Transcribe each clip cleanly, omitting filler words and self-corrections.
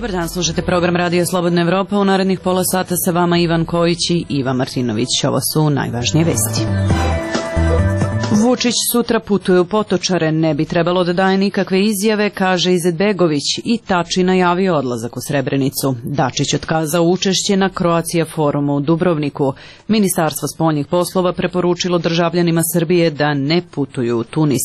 Dobar dan, slušate program Radio Slobodna Evropa. U narednih pola sata sa vama Ivan Kojić i Iva Martinović. Ovo su najvažnije vesti. Vučić sutra putuje u Potočare, ne bi trebalo da daje nikakve izjave, kaže Izetbegović, i Tači najavio odlazak u Srebrenicu. Dačić otkazao učešće na Croatia forumu u Dubrovniku. Ministarstvo spoljnih poslova preporučilo državljanima Srbije da ne putuju u Tunis.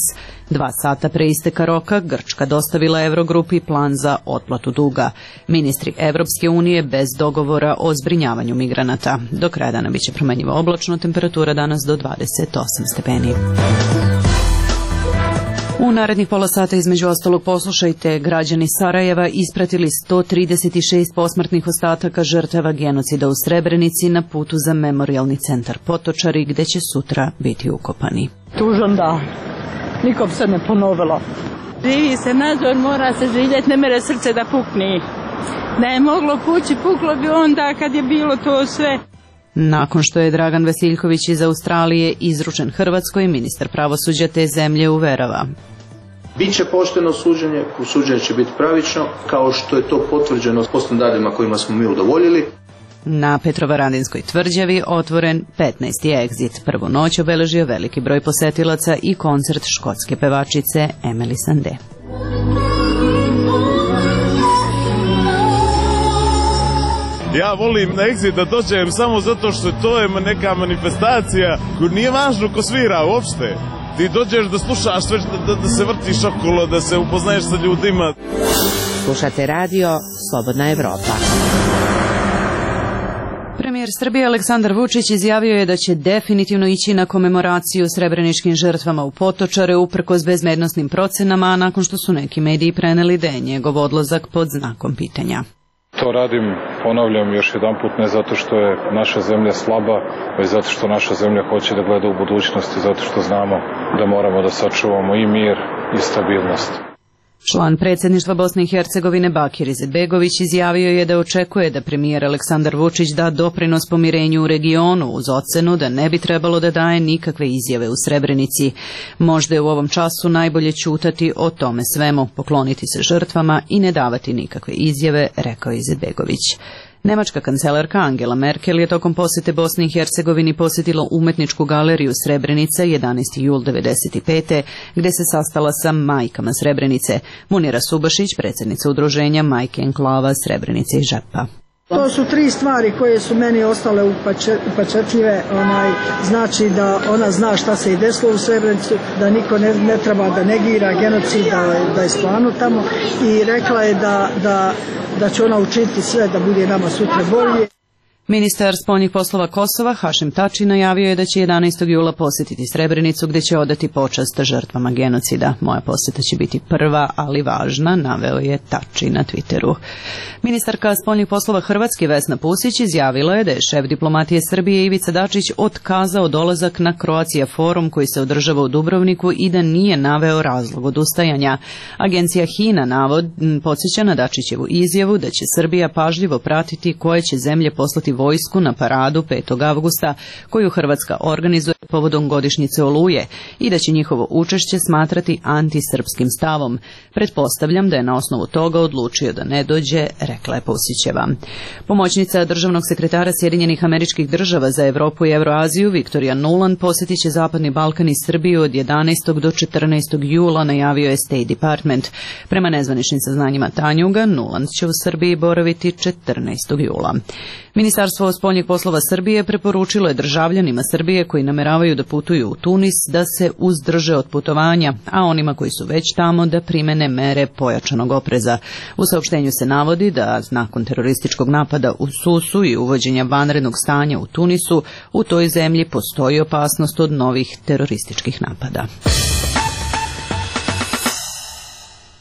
2 sata pre isteka roka Grčka dostavila Eurogrupi plan za otplatu duga. Ministri Evropske unije bez dogovora o zbrinjavanju migranata. Do kraja dana biće promenjiva oblačno, temperatura danas do 28 stepeni. U narednih pola sata između ostalog poslušajte, građani Sarajeva ispratili 136 posmrtnih ostataka žrtava genocida u Srebrenici na putu za memorijalni centar Potočari, gde će sutra biti ukopani. Tužan dan. Nikom se ne ponovilo. Živi se nadzor, mora se živjeti, ne mere srce da pukni. Da je moglo pući, puklo bi onda kad je bilo to sve. Nakon što je Dragan Vasiljković iz Australije izručen Hrvatskoj, ministar pravosuđa te zemlje uverava. Biće pošteno suđenje, suđenje će biti pravično, kao što je to potvrđeno po standardima kojima smo mi udovoljili. Na Petrovaradinskoj tvrđavi otvoren 15. egzit. Prvu noć obeležio veliki broj posetilaca i koncert škotske pevačice Emily Sandé. Ja volim na egzit da dođem samo zato što to je neka manifestacija koju nije važno ko svira uopšte. Ti dođeš da slušaš sve, da se vrtiš okolo, da se upoznaješ sa ljudima. Slušate radio Slobodna Evropa. Premijer Srbije Aleksandar Vučić izjavio je da će definitivno ići na komemoraciju srebreničkim žrtvama u Potočare uprkos bezbednosnim procenama, a nakon što su neki mediji preneli da je njegov odlazak pod znakom pitanja. To radim, ponavljam još jedanput, ne zato što je naša zemlja slaba, već zato što naša zemlja hoće da gleda u budućnosti, zato što znamo da moramo da sačuvamo i mir i stabilnost. Član predsjedništva Bosne i Hercegovine Bakir Izetbegović izjavio je da očekuje da premijer Aleksandar Vučić da doprinos pomirenju u regionu uz ocenu da ne bi trebalo da daje nikakve izjave u Srebrenici. Možda je u ovom času najbolje ćutati o tome svemu, pokloniti se žrtvama i ne davati nikakve izjave, rekao je Izetbegović. Nemačka kancelarka Angela Merkel je tokom posete Bosni i Hercegovini posjetila umetničku galeriju Srebrenica 11. jul 1995. gde se sastala sa majkama Srebrenice. Munira Subašić, predsjednica udruženja Majke enklava Srebrenice i Žepa. To su 3 stvari koje su meni ostale upečatljive, znači da ona zna šta se i desilo u Srebrenicu, da niko ne treba da negira genocid, da je stvarno tamo, i rekla je da će ona učiniti sve da bude nama sutra bolje. Ministar spoljnih poslova Kosova Hašim Tači najavio je da će 11. jula posjetiti Srebrenicu gdje će odati počast žrtvama genocida. Moja posjeta će biti prva, ali važna, naveo je Tači na Twitteru. Ministarka spoljnih poslova Hrvatske Vesna Pusić izjavila je da je šef diplomatije Srbije Ivica Dačić otkazao dolazak na Croatia forum koji se održava u Dubrovniku i da nije naveo razlog odustajanja. Agencija HINA podsjeća na Dačićevu izjavu da će Srbija pažljivo pratiti koje će zemlje poslati vojsku na paradu 5. avgusta koju Hrvatska organizuje povodom godišnjice Oluje i da će njihovo učešće smatrati antisrpskim stavom. Pretpostavljam da je na osnovu toga odlučio da ne dođe, rekla je Pusićeva. Pomoćnica državnog sekretara Sjedinjenih Američkih Država za Evropu i Euroaziju Viktorija Nuland posjetit će Zapadni Balkan i Srbiju od 11. do 14. jula, najavio je State Department. Prema nezvaničnim saznanjima Tanjuga, Nuland će u Srbiji boraviti 14. jula. Ministarstvo spoljnih poslova Srbije preporučilo je državljanima Srbije koji nameravaju da putuju u Tunis da se uzdrže od putovanja, a onima koji su već tamo da primene mere pojačanog opreza. U saopštenju se navodi da nakon terorističkog napada u Susu i uvođenja vanrednog stanja u Tunisu, u toj zemlji postoji opasnost od novih terorističkih napada.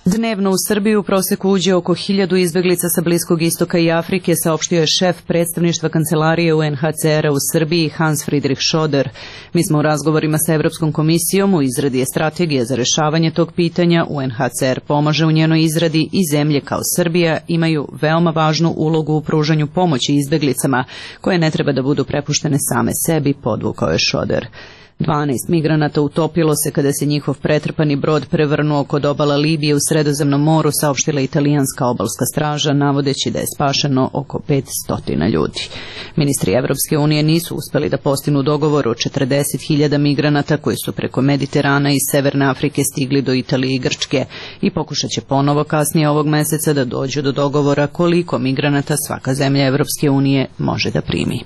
Dnevno u Srbiju u proseku uđe oko 1000 izbeglica sa Bliskog istoka i Afrike, saopštio je šef predstavništva kancelarije UNHCR-a u Srbiji Hans Friedrich Schoder. Mi smo u razgovorima sa Evropskom komisijom, u izradi je strategija za rešavanje tog pitanja, UNHCR pomaže u njenoj izradi i zemlje kao Srbija imaju veoma važnu ulogu u pružanju pomoći izbeglicama koje ne treba da budu prepuštene same sebi, podvukao je Schoder. 12 migranata utopilo se kada se njihov pretrpani brod prevrnuo kod obala Libije u Sredozemnom moru, saopštila italijanska obalska straža, navodeći da je spašeno oko 500 ljudi. Ministri Evropske unije nisu uspeli da postignu dogovor o 40.000 migranata koji su preko Mediterana i Severne Afrike stigli do Italije i Grčke i pokušat će ponovo kasnije ovog meseca da dođu do dogovora koliko migranata svaka zemlja Evropske unije može da primi.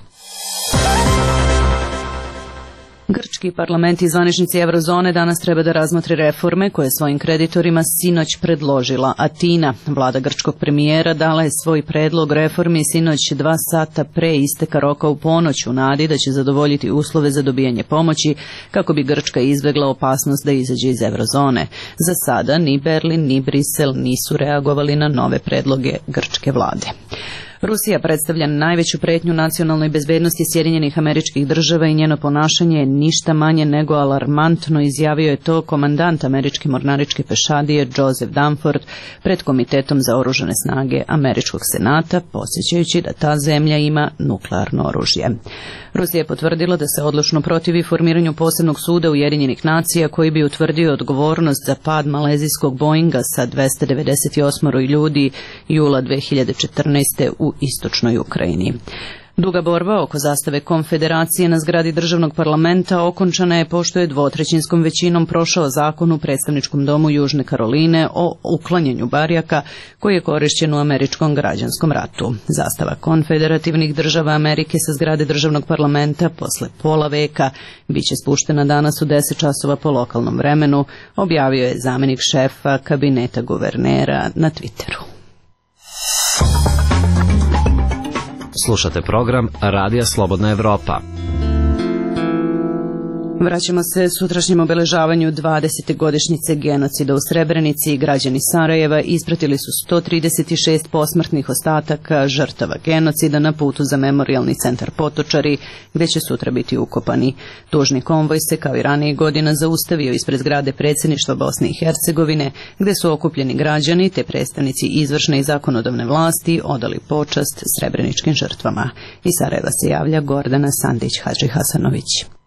Grčki parlament i zvaničnici Eurozone danas treba da razmotre reforme koje svojim kreditorima sinoć predložila Atina. Vlada grčkog premijera dala je svoj predlog reformi sinoć 2 sata pre isteka roka u ponoć u nadi da će zadovoljiti uslove za dobijanje pomoći kako bi Grčka izbjegla opasnost da izađe iz Eurozone. Za sada ni Berlin ni Brisel nisu reagovali na nove predloge grčke vlade. Rusija predstavlja najveću pretnju nacionalnoj bezbednosti Sjedinjenih Američkih Država i njeno ponašanje je ništa manje nego alarmantno, izjavio je to komandant američke mornaričke pešadije Joseph Dunford pred Komitetom za oružane snage Američkog senata, podsjećajući da ta zemlja ima nuklearno oružje. Rusija je potvrdila da se odlučno protivi formiranju posebnog suda Ujedinjenih nacija koji bi utvrdio odgovornost za pad malezijskog Boeinga sa 298 ljudi jula 2014. u istočnoj Ukrajini. Duga borba oko zastave Konfederacije na zgradi državnog parlamenta okončana je pošto je dvotrećinskom većinom prošao zakon u predstavničkom domu Južne Karoline o uklanjanju barjaka koji je korišćen u američkom građanskom ratu. Zastava konfederativnih država Amerike sa zgrade državnog parlamenta posle pola veka biće spuštena danas u 10 časova po lokalnom vremenu, objavio je zamenik šefa kabineta guvernera na Twitteru. Slušate program Radija Slobodna Evropa. Vraćamo se sutrašnjem obeležavanju 20. godišnjice genocida u Srebrenici. Građani Sarajeva ispratili su 136 posmrtnih ostataka žrtava genocida na putu za memorijalni centar Potočari, gde će sutra biti ukopani. Tužni konvoj se kao i ranije godina zaustavio ispred zgrade predsjedništva Bosne i Hercegovine, gde su okupljeni građani te predstavnici izvršne i zakonodavne vlasti odali počast srebreničkim žrtvama. Iz Sarajeva se javlja Gordana Sandić-Hadži-Hasanović.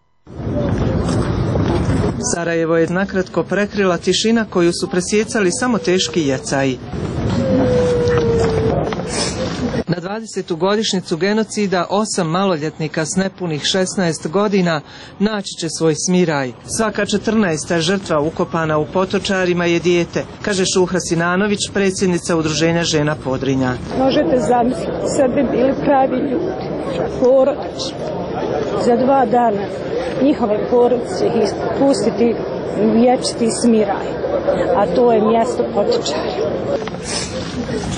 Sarajevo je nakratko prekrila tišina koju su presjecali samo teški jecaji. Na 20. godišnjicu genocida 8 maloljetnika s nepunih 16 godina naći će svoj smiraj. Svaka 14. žrtva ukopana u Potočarima je dijete, kaže Šuhra Sinanović, predsjednica Udruženja žena Podrinja. Možete zamisliti, sad bi bili pravi ljudi, porodični. Za 2 dana njihove porodice ih pustiti u vječiti smiraj, a to je mjesto Potočari.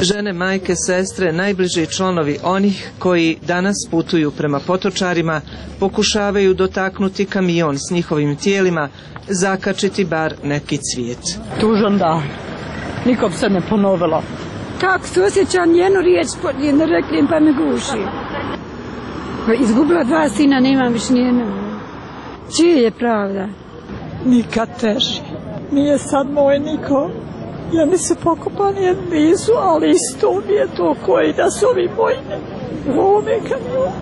Žene, majke, sestre, najbliži članovi onih koji danas putuju prema Potočarima pokušavaju dotaknuti kamion s njihovim tijelima, zakačiti bar neki cvijet. Tužan dan, nikom se ne ponovilo. Kako se osjećam, njenu riječ ne reklim pa me guši. Izgubila 2 sina, nemam više nijednog. Čije je pravda? Nikad teži. Nije sad moj niko. Jedni su pokopani, jedni nisu, ali isto mi je to koji da su ovi moji u ovome kamionu.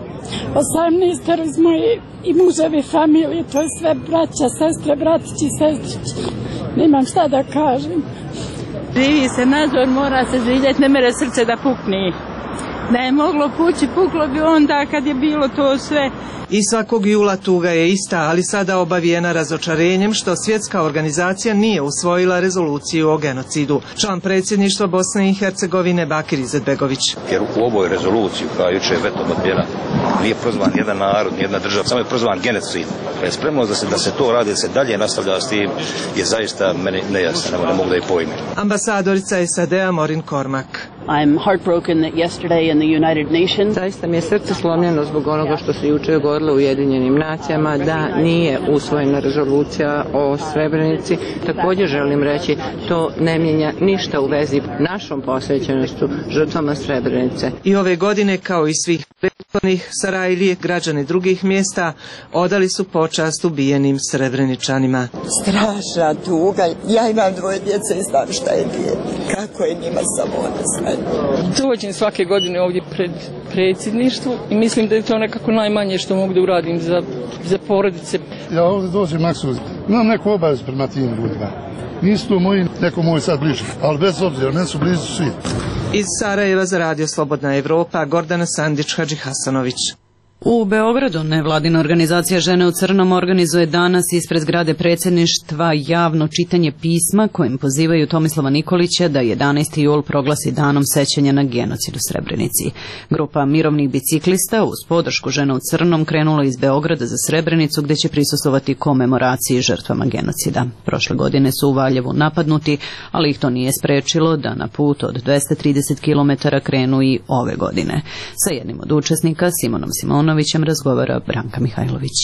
18 iz moje i muževe familije, to je sve braća, sestre, bratići, sestrići. Nemam šta da kažem. Živi se nadzor, mora se živjeti, ne mere srce da pukni. Da je moglo pući, puklo bi onda kad je bilo to sve. I svakog jula tuga je ista, ali sada obavijena razočarenjem što svjetska organizacija nije usvojila rezoluciju o genocidu. Član predsjedništva Bosne i Hercegovine Bakir Izetbegović. Jer u ovoj rezoluciji koja je jučer vetom odbijena nije prozvan jedan narod, jedna država, samo je prozvan genocid. Spremnost da se to radi, da se dalje nastavlja s tim je zaista meni nejasno, ne mogu da je pojmim. Ambasadorica SAD-a Maureen Cormack. I'm heartbroken that yesterday in the United Nations. Zaista mi je srce slomljeno zbog onoga što se jučer govorilo u Ujedinjenim nacijama da nije usvojena rezolucija o Srebrenici. Također želim reći, to ne mijenja ništa u vezi našom posvećenošću žrtvama Srebrenice. I ove godine, kao i svih prethodnih, Sarajlije, građani drugih mjesta, odali su počast ubijenim Srebreničanima. Strašna tuga. Ja imam 2 djece i znam šta je dijete. Kako je njima samo odnosno. Dođem svake godine ovdje pred predsjedništvu i mislim da je to nekako najmanje što mogu da uradim za porodice. Ja ovdje dođem maksimum, imam neku obavezu prema tim ljudima. Nisu to moji, neko moj sad bliži, ali bez obzira, meni su blizu svi. Iz Sarajeva za Radio Slobodna Evropa, Gordana Sandić, Hadži Hasanović. U Beogradu nevladina organizacija Žene u crnom organizuje danas ispred zgrade predsjedništva javno čitanje pisma kojim pozivaju Tomislava Nikolića da 11. jul proglasi danom sećanja na genocid u Srebrenici. Grupa mirovnih biciklista uz podršku Žena u crnom krenula iz Beograda za Srebrenicu gdje će prisustvovati komemoraciji žrtvama genocida. Prošle godine su u Valjevu napadnuti, ali ih to nije sprečilo da na put od 230 km krenu i ove godine. Sa jednim od učesnika, Simonom Simonovićem, razgovara Branka Mihajlović.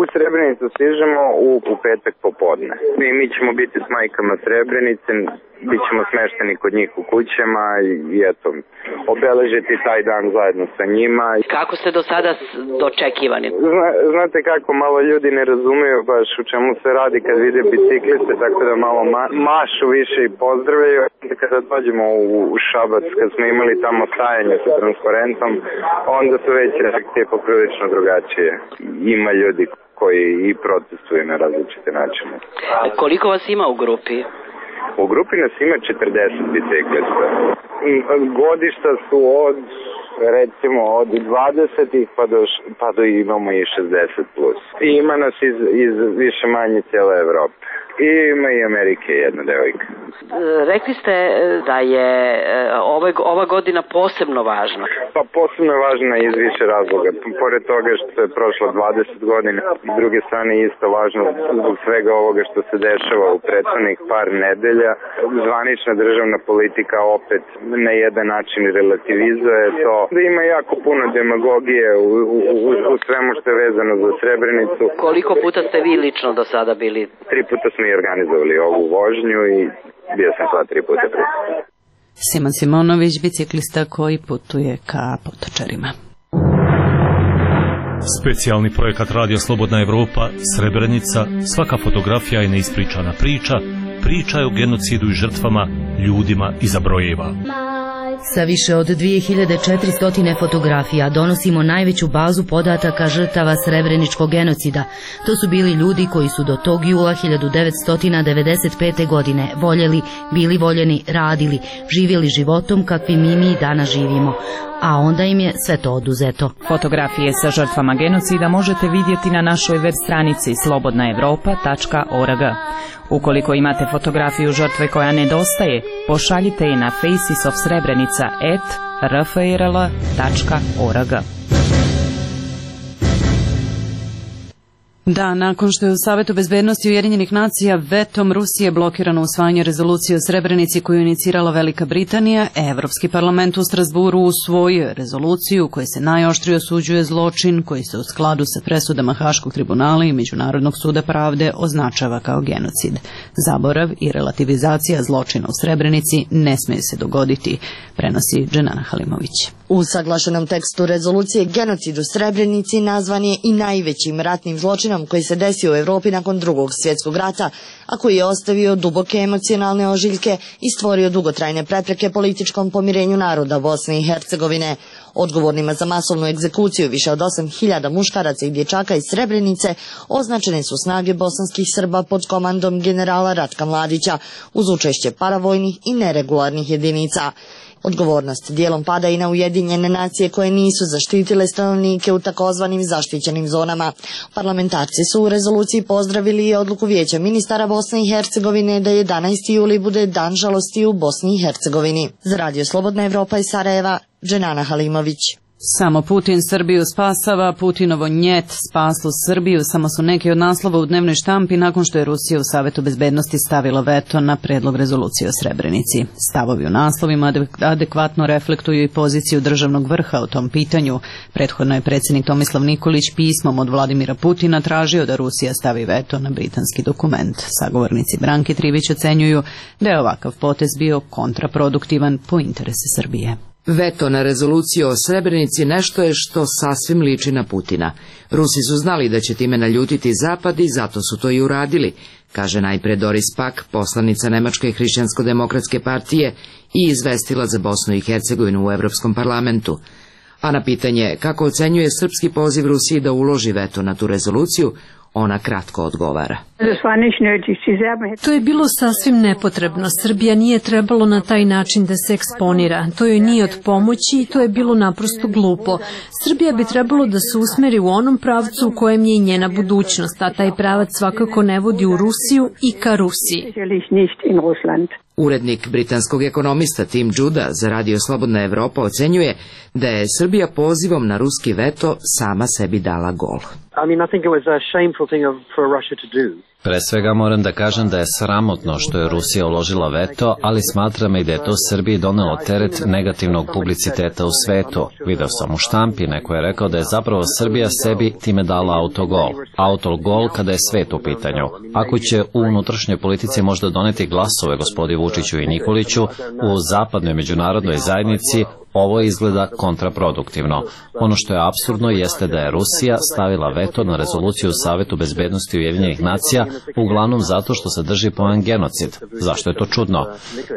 U Srebrenicu stižemo u petak popodne. Mi ćemo biti s majkama Srebrenice, bit ćemo smešteni kod njih u kućama i eto, obeležiti taj dan zajedno sa njima. Kako ste do sada dočekivani? Znate kako, malo ljudi ne razumiju baš u čemu se radi kad vide bicikliste, tako da malo mašu više i pozdravljaju. Kada dođemo u Šabac, kad smo imali tamo stajanje sa transparentom, onda su već reakcije poprilično drugačije. Ima ljudi koji i protestuju na različite načine. Koliko vas ima u grupi? U grupi nas ima 40 biciklista. Godišta su recimo od 20-ih pa do imamo i 60 plus. I ima nas iz više manje cijele Evrope. I ima i Amerike jedna devojka. Rekli ste da je ova godina posebno važna. Pa posebno je važna iz više razloga. Pored toga što je prošlo 20 godina, s druge strane isto važno zbog svega ovoga što se dešava u prethodnih par nedelja. Zvanična državna politika opet na jedan način relativizuje to. Da ima jako puno demagogije u svemu što je vezano za Srebrenicu. Koliko puta ste vi lično do sada bili? 3 puta smo organizovali ovu vožnju i bio sam sva 3 puta prisutna. Simon Simonović, biciklista koji putuje ka Potočarima. Specijalni projekat Radio Slobodna Evropa, Srebrenica, svaka fotografija je neispričana priča, priča je o genocidu i žrtvama, ljudima iza brojeva. Sa više od 2400 fotografija donosimo najveću bazu podataka žrtava srebreničkog genocida. To su bili ljudi koji su do tog jula 1995. godine voljeli, bili voljeni, radili, živjeli životom kakvim mi danas živimo. A onda im je sve to oduzeto. Fotografije sa žrtvama genocida možete vidjeti na našoj web stranici slobodnaevropa.org. Ukoliko imate fotografiju žrtve koja nedostaje, pošaljite je na facesofsrebrenica@rfrl.org. Da, nakon što je u Savetu bezbednosti Ujedinjenih nacija vetom Rusije blokirano usvajanje rezolucije o Srebrenici koju inicirala Velika Britanija, Evropski parlament u Strasburu usvojio rezoluciju u kojoj se najoštrije osuđuje zločin koji se u skladu sa presudama Haškog tribunala i Međunarodnog suda pravde označava kao genocid. Zaborav i relativizacija zločina u Srebrenici ne smije se dogoditi, prenosi Dženana Halimović. U saglašenom tekstu rezolucije genocid u Srebrenici nazvan je i najvećim ratnim zločinom koji se desio u Evropi nakon Drugog svjetskog rata, a koji je ostavio duboke emocionalne ožiljke i stvorio dugotrajne prepreke političkom pomirenju naroda Bosne i Hercegovine. Odgovornima za masovnu egzekuciju više od 8.000 muškaraca i dječaka iz Srebrenice označene su snage bosanskih Srba pod komandom generala Ratka Mladića uz učešće paravojnih i neregularnih jedinica. Odgovornost dijelom pada i na Ujedinjene nacije koje nisu zaštitile stanovnike u takozvanim zaštićenim zonama. Parlamentarci su u rezoluciji pozdravili i odluku Vijeća ministara Bosne i Hercegovine da 11. juli bude dan žalosti u Bosni i Hercegovini. Za Radio Slobodna Evropa iz Sarajeva, Dženana Halimović. Samo Putin Srbiju spasava, Putinovo njet spaslo Srbiju, samo su neki od naslova u dnevnoj štampi nakon što je Rusija u Savetu bezbednosti stavila veto na predlog rezolucije o Srebrenici. Stavovi u naslovima adekvatno reflektuju i poziciju državnog vrha o tom pitanju. Prethodno je predsjednik Tomislav Nikolić pismom od Vladimira Putina tražio da Rusija stavi veto na britanski dokument. Sagovornici Branke Trivić ocenjuju da je ovakav potez bio kontraproduktivan po interese Srbije. Veto na rezoluciju o Srebrenici nešto je što sasvim liči na Putina. Rusi su znali da će time naljutiti Zapad i zato su to i uradili, kaže najpre Doris Pack, poslanica Nemačke hrišćansko-demokratske partije i izvestila za Bosnu i Hercegovinu u Europskom parlamentu. A na pitanje kako ocenjuje srpski poziv Rusiji da uloži veto na tu rezoluciju, ona kratko odgovara. To je bilo sasvim nepotrebno. Srbija nije trebalo na taj način da se eksponira. To joj nije od pomoći i to je bilo naprosto glupo. Srbija bi trebalo da se usmeri u onom pravcu u kojem je i njena budućnost, a taj pravac svakako ne vodi u Rusiju i ka Rusiji. Urednik britanskog ekonomista Tim Judah za Radio Slobodna Evropa ocenjuje da je Srbija pozivom na ruski veto sama sebi dala gol. Pre svega moram da kažem da je sramotno što je Rusija uložila veto, ali smatram i da je to Srbiji donelo teret negativnog publiciteta u svetu. Video sam u štampi, neko je rekao da je zapravo Srbija sebi time dala autogol. Autogol kada je svet u pitanju. Ako će u unutrašnjoj politici možda doneti glasove gospodi Vučiću i Nikoliću, u zapadnoj međunarodnoj zajednici ovo izgleda kontraproduktivno. Ono što je apsurdno jeste da je Rusija stavila veto na rezoluciju Savetu bezbednosti Ujedinjenih nacija, uglavnom zato što sadrži pojam genocid. Zašto je to čudno?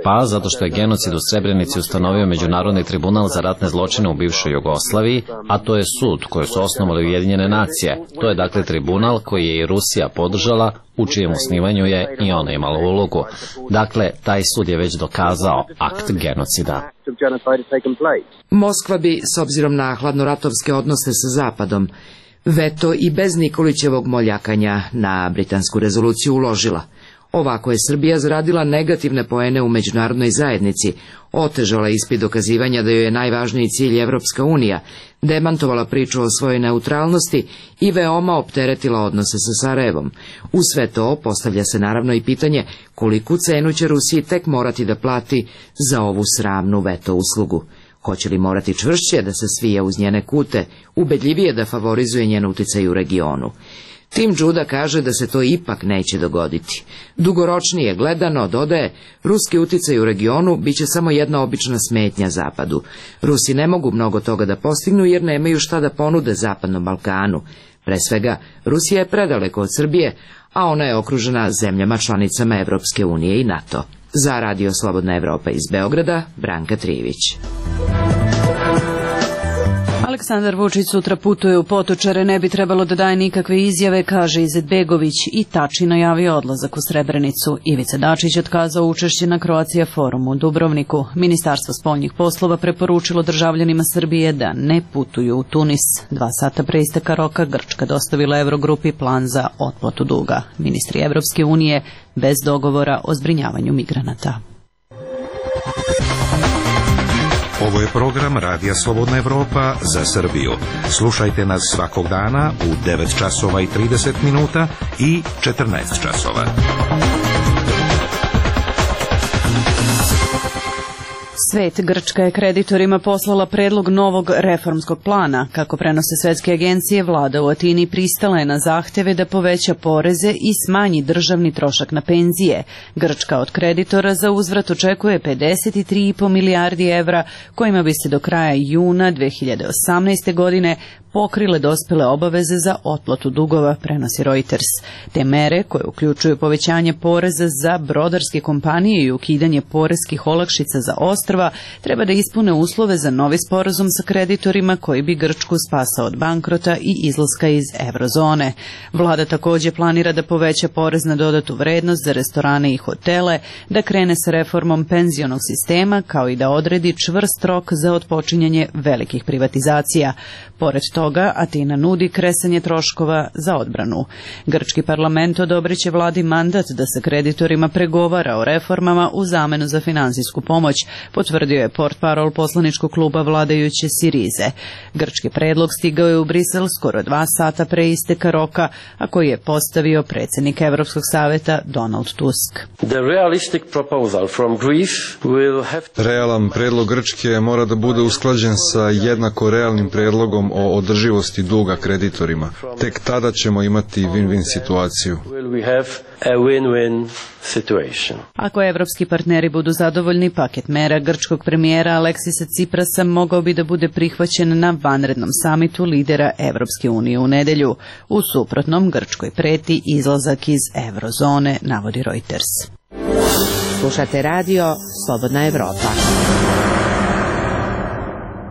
Pa zato što je genocid u Srebrenici ustanovio Međunarodni tribunal za ratne zločine u bivšoj Jugoslaviji, a to je sud koji su osnovali Ujedinjene nacije. To je dakle tribunal koji je i Rusija podržala, u čijem osnivanju je i ona imala ulogu. Dakle, taj sud je već dokazao akt genocida. Moskva bi, s obzirom na hladnoratovske odnose sa Zapadom, veto i bez Nikolićevog moljakanja na britansku rezoluciju uložila. Ovako je Srbija zaradila negativne poene u međunarodnoj zajednici, otežala ispit dokazivanja da joj je najvažniji cilj Evropska unija, demantovala priču o svojoj neutralnosti i veoma opteretila odnose sa Sarajevom. U sve to postavlja se naravno i pitanje koliku cenu će Rusiji tek morati da plati za ovu sramnu veto uslugu. Hoće li morati čvršće da se svije uz njene kute, ubedljivije da favorizuje njen uticaj u regionu? Tim Judah kaže da se to ipak neće dogoditi. Dugoročnije gledano, dodaje, ruski uticaj u regionu biće samo jedna obična smetnja Zapadu. Rusi ne mogu mnogo toga da postignu jer nemaju šta da ponude Zapadnom Balkanu. Pre svega, Rusija je predaleko od Srbije, a ona je okružena zemljama članicama Evropske unije i NATO. Za Radio Slobodna Evropa iz Beograda, Branka Trivić. Aleksandar Vučić sutra putuje u Potočare, ne bi trebalo da daje nikakve izjave, kaže Izetbegović, i Tači najavio odlazak u Srebrenicu. Ivica Dačić otkazao učešće na Croatia forumu u Dubrovniku. Ministarstvo spoljnih poslova preporučilo državljanima Srbije da ne putuju u Tunis. 2 sata pre isteka roka Grčka dostavila Eurogrupi plan za otplatu duga. Ministri Evropske unije bez dogovora o zbrinjavanju migranata. Ovo je program Radija Slobodna Evropa za Srbiju. Slušajte nas svakog dana u 9 časova i 30 minuta i 14 časova. Svet, Grčka je kreditorima poslala predlog novog reformskog plana. Kako prenose svetske agencije, vlada u Atini pristala je na zahteve da poveća poreze i smanji državni trošak na penzije. Grčka od kreditora za uzvrat očekuje 53,5 milijardi evra, kojima bi se do kraja juna 2018. godine pokrile dospele obaveze za otplatu dugova, prenosi Reuters. Te mere, koje uključuju povećanje poreza za brodarske kompanije i ukidanje poreskih olakšica za ostrva, treba da ispune uslove za novi sporazum sa kreditorima koji bi Grčku spasao od bankrota i izlaska iz eurozone. Vlada takođe planira da poveća porez na dodatu vrednost za restorane i hotele, da krene sa reformom penzionog sistema, kao i da odredi čvrst rok za otpočinjanje velikih privatizacija. Pored toga, Atina nudi kresanje troškova za odbranu. Grčki parlament odobriće vladi mandat da sa kreditorima pregovara o reformama u zamenu za finansijsku pomoć, potvrdio je portparol poslaničkog kluba vladajuće Sirize. Grčki predlog stigao je u Brisel skoro 2 sata pre isteka roka, a koji je postavio predsjednik Evropskog saveta Donald Tusk. Realan predlog Grčke mora da bude usklađen sa jednako realnim predlogom o održivosti duga kreditorima. Tek tada ćemo imati win-win situaciju. Ako evropski partneri budu zadovoljni, paket mera grčkog premijera Aleksisa Ciprasa mogao bi da bude prihvaćen na vanrednom samitu lidera Evropske unije u nedelju. U suprotnom, Grčkoj preti izlazak iz eurozone, navodi Reuters. Slušate radio Slobodna Evropa.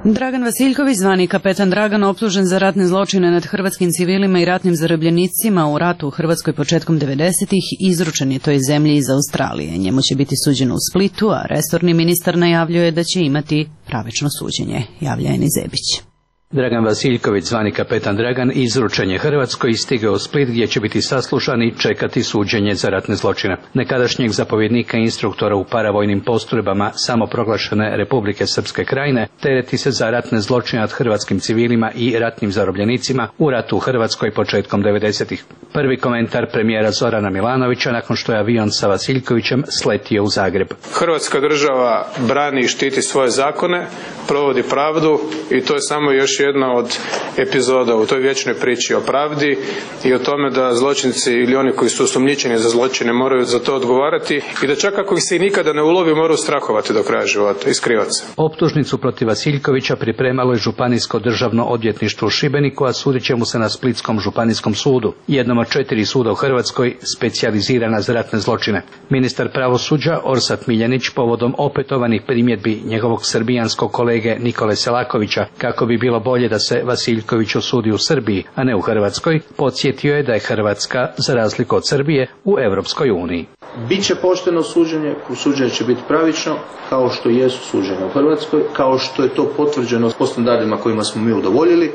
Dragan Vasiljković, zvani kapetan Dragan, optužen za ratne zločine nad hrvatskim civilima i ratnim zarobljenicima u ratu u Hrvatskoj početkom 90-ih, izručen je toj zemlji iz Australije. Njemu će biti suđeno u Splitu, a resorni ministar najavljuje da će imati pravično suđenje, javlja Eni Zebić. Dragan Vasiljković, zvani kapetan Dragan, izručen je Hrvatskoj i stigao u Split gdje će biti saslušan i čekati suđenje za ratne zločine. Nekadašnjeg zapovjednika i instruktora u paravojnim postrojbama samoproglašene Republike Srpske Krajine tereti se za ratne zločine nad hrvatskim civilima i ratnim zarobljenicima u ratu u Hrvatskoj početkom 90-ih. Prvi komentar premijera Zorana Milanovića nakon što je avion sa Vasiljkovićem sletio u Zagreb. Hrvatska država brani i štiti svoje zakone, provodi pravdu i to je samo još jedna od epizoda u toj vječnoj priči o pravdi i o tome da zločinci ili oni koji su osumnjičeni za zločine moraju za to odgovarati i da čak ako ih se i nikada ne ulovi moraju strahovati do kraja života i skrivati se. Optužnicu protiv Vasiljkovića pripremalo je Županijsko državno odvjetništvo u Šibeniku, a sudit će mu se na Splitskom županijskom sudu, jednom od 4 suda u Hrvatskoj specijalizirana za ratne zločine. Ministar pravosuđa Orsat Miljanić povodom opetovanih primjedbi njegovog srbijanskog kolege Nikole Selakovića kako bi bilo bolje da se Vasiljković osudi u Srbiji, a ne u Hrvatskoj, podsjetio je da je Hrvatska, za razliku od Srbije, u Europskoj uniji. Biće pošteno suđenje, suđenje će biti pravično, kao što jesu suđenje u Hrvatskoj, kao što je to potvrđeno po standardima kojima smo mi udovoljili,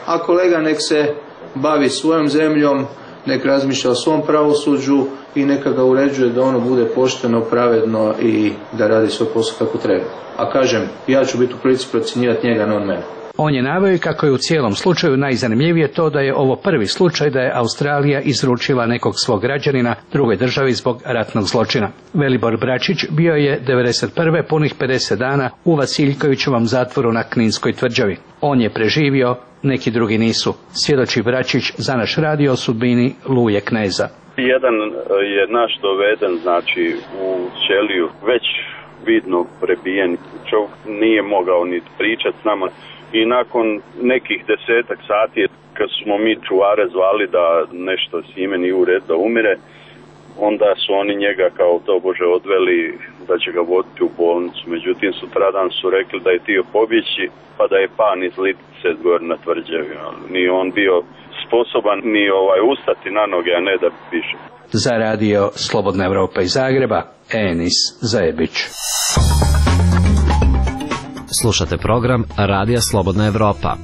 a kolega nek se bavi svojom zemljom, nek razmišlja o svom pravosuđu i neka ga uređuje da ono bude pošteno, pravedno i da radi svoj posao kako treba. A kažem, ja ću biti u prilici procjenjivati njega, ne on mene. On je naveo kako je u cijelom slučaju najzanimljivije to da je ovo prvi slučaj da je Australija izručila nekog svog građanina drugoj državi zbog ratnog zločina. Velibor Bračić bio je 1991. punih 50 dana u Vasiljkovićevom zatvoru na Kninskoj tvrđavi. On je preživio, neki drugi nisu. Svjedoči Bračić za naš radio o sudbini Luje Kneza. Jedan je naš doveden, znači u ćeliju, već vidno prebijen. Čovjek nije mogao ni pričati s nama. I nakon nekih 10-ak sati, kad smo mi čuvare zvali da nešto s njime nije u red da umire, onda su oni njega kao tobože odveli da će ga voditi u bolnicu. Međutim, sutradan su rekli da je htio pobjeći, pa da je pan iz Litice gore na tvrđavi. Nije on bio sposoban ni ustati na noge, a ne da piše. Za radio Slobodna Evropa iz Zagreba, Enis Zebić. Slušate program Radija Slobodna Evropa.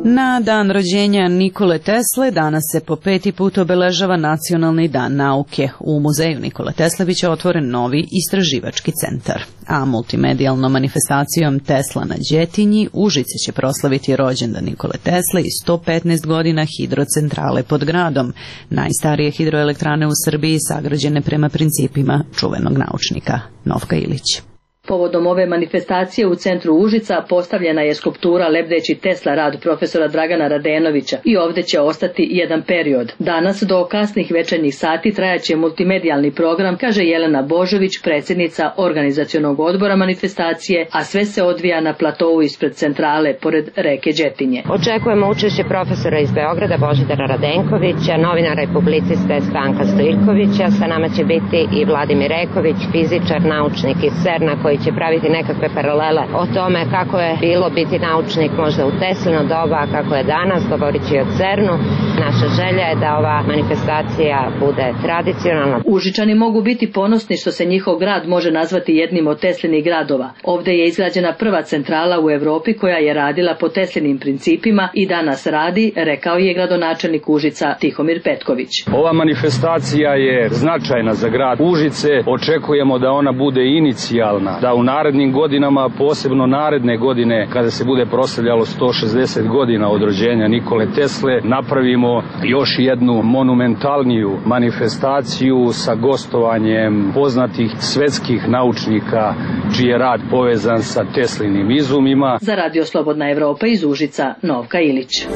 Na dan rođenja Nikole Tesle danas se po 5. put obeležava Nacionalni dan nauke. U muzeju Nikole Tesle biće otvoren novi istraživački centar. A multimedijalnom manifestacijom Tesla na Đetinji Užice će proslaviti rođendan Nikole Tesle i 115 godina hidrocentrale pod gradom, najstarije hidroelektrane u Srbiji sagrađene prema principima čuvenog naučnika Novka Ilić. Povodom ove manifestacije u centru Užica postavljena je skulptura lebdeći Tesla rad profesora Dragana Radenovića i ovdje će ostati jedan period. Danas do kasnih večernjih sati trajaće multimedijalni program, kaže Jelena Božović, predsjednica organizacionog odbora manifestacije, a sve se odvija na platovu ispred centrale pored reke Đetinje. Očekujemo učešće profesora iz Beograda Božidara Radenkovića, novinara i publiciste Stanka Stojkovića, sa nama će biti i Vladimir Reković, fizičar, naučnik iz CERN-a koji će praviti nekakve paralele o tome kako je bilo biti naučnik možda u Teslino doba, kako je danas, govorit će o CERN-u. Naša želja je da ova manifestacija bude tradicionalna. Užičani mogu biti ponosni što se njihov grad može nazvati jednim od Teslinih gradova. Ovdje je izgrađena prva centrala u Europi koja je radila po Teslinim principima i danas radi, rekao je gradonačelnik Užica Tihomir Petković. Ova manifestacija je značajna za grad Užice. Očekujemo da ona bude inicijalna, da u narednim godinama, posebno naredne godine, kada se bude proslavljalo 160 godina od rođenja Nikole Tesle, napravimo još jednu monumentalniju manifestaciju sa gostovanjem poznatih svetskih naučnika čiji je rad povezan sa Teslinim izumima. Za radio Slobodna Evropa iz Užica, Novka Ilić.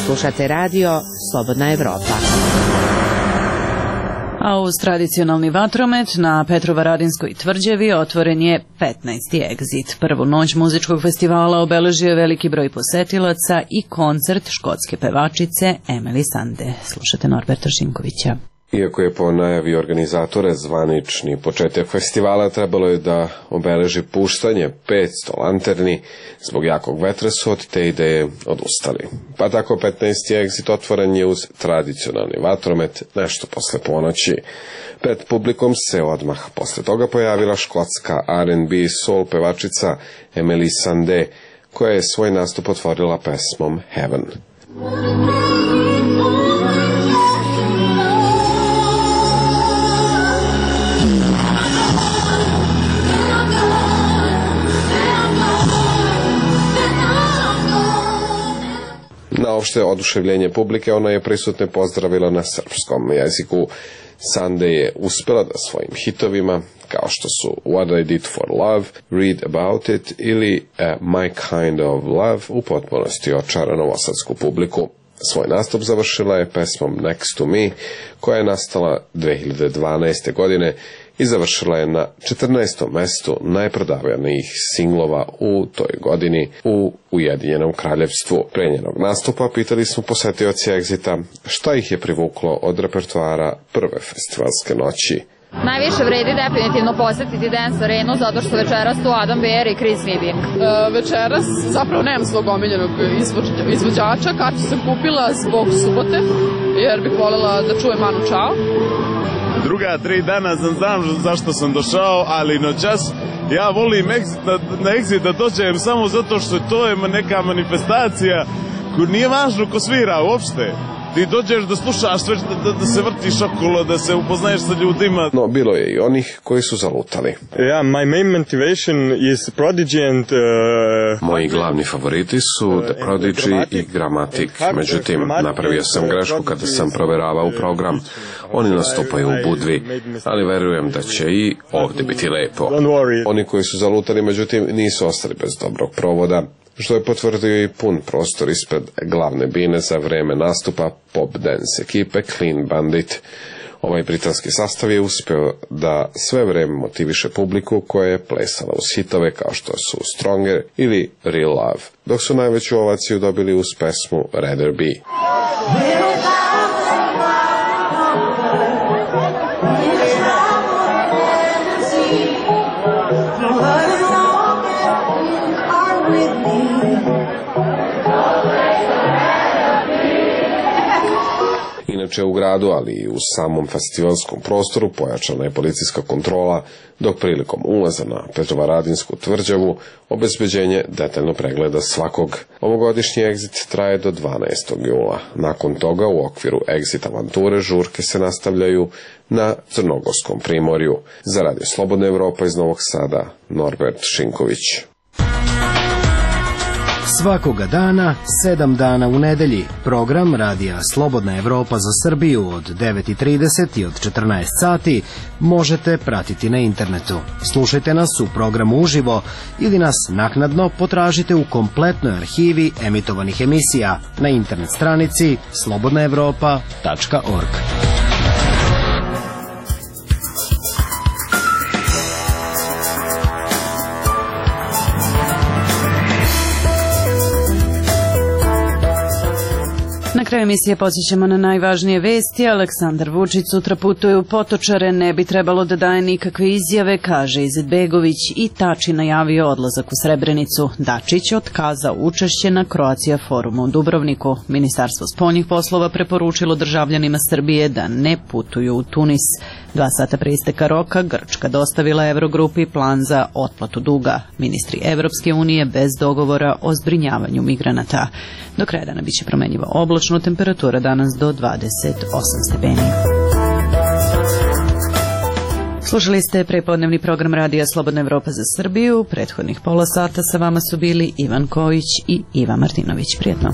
Slušate radio Slobodna Evropa. A uz tradicionalni vatromet na Petrovaradinskoj tvrđavi otvoren je 15. Exit. Prvu noć muzičkog festivala obeležio je veliki broj posetilaca i koncert škotske pevačice Emily Sande. Slušate Norberta Šinkovića. Iako je po najavi organizatore zvanični početak festivala, trebalo je da obeleži puštanje 500 lanterni, zbog jakog vetra su od te ideje odustali. Pa tako 15. Exit otvoren je uz tradicionalni vatromet nešto posle ponoći. Pred publikom se odmah posle toga pojavila škotska R&B soul pevačica Emily Sandé, koja je svoj nastup otvorila pesmom Heaven. Na opšte oduševljenje publike ona je prisutne pozdravila na srpskom jeziku. Sandé je uspela da svojim hitovima, kao što su What I Did for Love, Read About It ili My Kind of Love, u potpunosti očara novosadsku publiku. Svoj nastup završila je pesmom Next to Me, koja je nastala 2012. godine i završila je na 14. mestu najprodavanijih singlova u toj godini u Ujedinjenom kraljevstvu. Pre njenog nastupa pitali smo posetioci Exita šta ih je privuklo od repertoara prve festivalske noći. Najviše vredi definitivno posetiti Dance Arenu zato što večeras tu Adam Bear i Chris Vivian. Večeras zapravo nemam svog omiljenog izvođača, kartu sam kupila zbog subote jer bih voljela da čujem Manu Chao. Druga 3 dana znam zašto sam došao, ali noćas ja volim na Exit da dođem samo zato što to je neka manifestacija koju nije važno ko svira uopšte. Ti dođeš da slušaš, da se vrtiš okolo, da se upoznaješ sa ljudima. No, bilo je i onih koji su zalutali. My main motivation is Prodigy and... Moji glavni favoriti su The Prodigy i Gramatik. Međutim, napravio sam grešku kada sam proveravao program. Oni nastupaju u Budvi, ali verujem da će i ovdje biti lepo. Oni koji su zalutali, međutim, nisu ostali bez dobrog provoda, što je potvrdio i pun prostor ispred glavne bine za vreme nastupa pop dance ekipe Clean Bandit. Ovaj britanski sastav je uspeo da sve vreme motiviše publiku koja je plesala uz hitove kao što su Stronger ili Real Love, dok su najveću ovaciju dobili uz pesmu Rather Be. Inače u gradu, ali i u samom festivalskom prostoru pojačana je policijska kontrola, dok prilikom ulaza na Petrovaradinsku tvrđavu obezbeđenje detaljno pregleda svakog. Ovogodišnji Exit traje do 12. jula. Nakon toga u okviru Exit avanture žurke se nastavljaju na Crnogorskom primorju. Za Radio Slobodna Evropa iz Novog Sada, Norbert Šinković. Svakoga dana, 7 dana u nedelji, program Radija Slobodna Evropa za Srbiju od 9:30 i od 14 sati možete pratiti na internetu. Slušajte nas u programu uživo ili nas naknadno potražite u kompletnoj arhivi emitovanih emisija na internet stranici slobodnaevropa.org. Na kraju emisije podsjećamo na najvažnije vesti. Aleksandar Vučić sutra putuje u Potočare, ne bi trebalo da daje nikakve izjave, kaže Izetbegović, i Tači najavio odlazak u Srebrenicu. Dačić otkazao učešće na Croatia forumu u Dubrovniku. Ministarstvo spoljnih poslova preporučilo državljanima Srbije da ne putuju u Tunis. 2 sata pre isteka roka Grčka dostavila Eurogrupi plan za otplatu duga. Ministri Evropske unije bez dogovora o zbrinjavanju migranata. Do kraja dana biće promenjivo oblačno, temperatura danas do 28 stepeni. Slušali ste prepodnevni program Radija Slobodna Evropa za Srbiju. Prethodnih pola sata sa vama su bili Ivan Kojić i Iva Martinović. Prijetno.